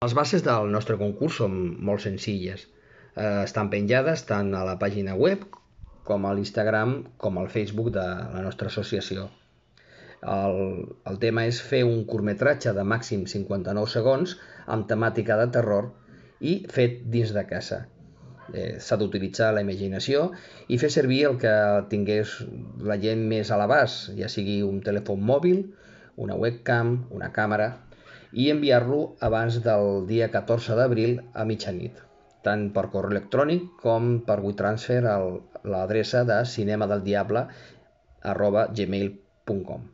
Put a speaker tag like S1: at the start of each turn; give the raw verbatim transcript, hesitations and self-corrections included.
S1: Les bases del nostre concurs són molt senzilles. Eh, estan penjades tant a la pàgina web com a l'Instagram com al Facebook de la nostra associació. El, el tema és fer un curtmetratge de màxim cinquanta-nou segons amb temàtica de terror i fet dins de casa. Eh, S'ha d'utilitzar la imaginació i fer servir el que tingués la gent més a l'abast, ja sigui un telèfon mòbil, una webcam, una càmera, i enviar-lo abans del dia catorze d'abril a mitjanit, tant per correu electrònic com per WeTransfer a l'adreça de cinemadeldiable arroba gmail punt com.